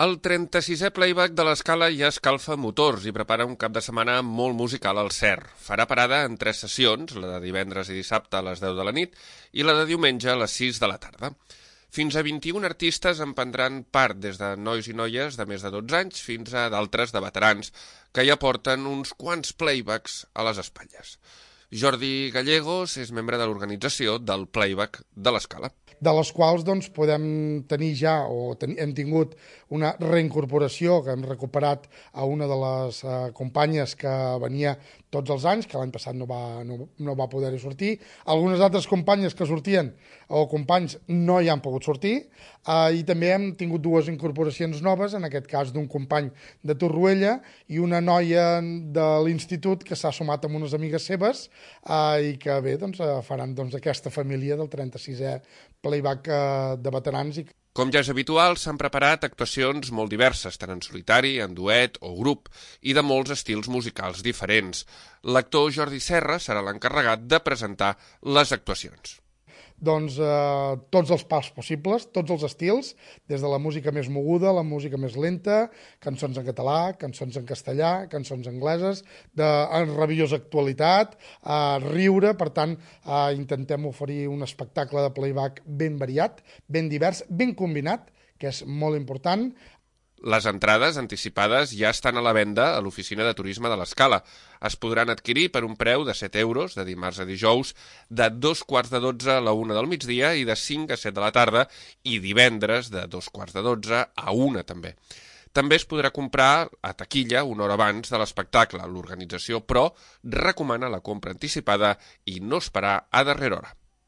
El 36è playback de l'Escala ja escalfa motors i prepara un cap de setmana molt musical al CER. Farà parada en 3 sessions, la de divendres i dissabte a les 10 de la nit i la de diumenge a les 6 de la tarda. Fins a 21 artistes en prendran part, des de nois i noies de més de 12 anys fins a d'altres de veterans, que ja porten uns quants playbacks a les espatlles. Jordi Gallegos és membre de l'organització del playback de l'Escala. De les quals podem tenir ja, hem tingut una reincorporació que hem recuperat a una de les companyes que venia tots els anys, que l'any passat no va poder-hi sortir. Algunes altres companyes que sortien o companys no hi han pogut sortir, i també hem tingut 2 incorporacions noves, en aquest cas d'un company de Torroella i una noia de l'institut que s'ha sumat amb unes amigues seves i que bé, faran aquesta família del 36è playback de veterans. Com ja és habitual, s'han preparat actuacions molt diverses, tant en solitari, en duet o grup, i de molts estils musicals diferents. L'actor Jordi Serra serà l'encarregat de presentar les actuacions. Tots els pals possibles, tots els estils, des de la música més moguda, la música més lenta, cançons en català, cançons en castellà, cançons angleses, en rabiosa actualitat, riure. Per tant, intentem oferir un espectacle de playback ben variat, ben divers, ben combinat, que és molt important. Les entrades anticipades ja estan a la venda a l'oficina de turisme de l'Escala. Es podran adquirir per un preu de 7 euros de dimarts a dijous, de 2:45 a la 1 del migdia i de 5 a 7 de la tarda, i divendres de 2:45 a 1 també. També es podrà comprar a taquilla una hora abans de l'espectacle. L'organització, però, recomana la compra anticipada i no esperar a darrera hora.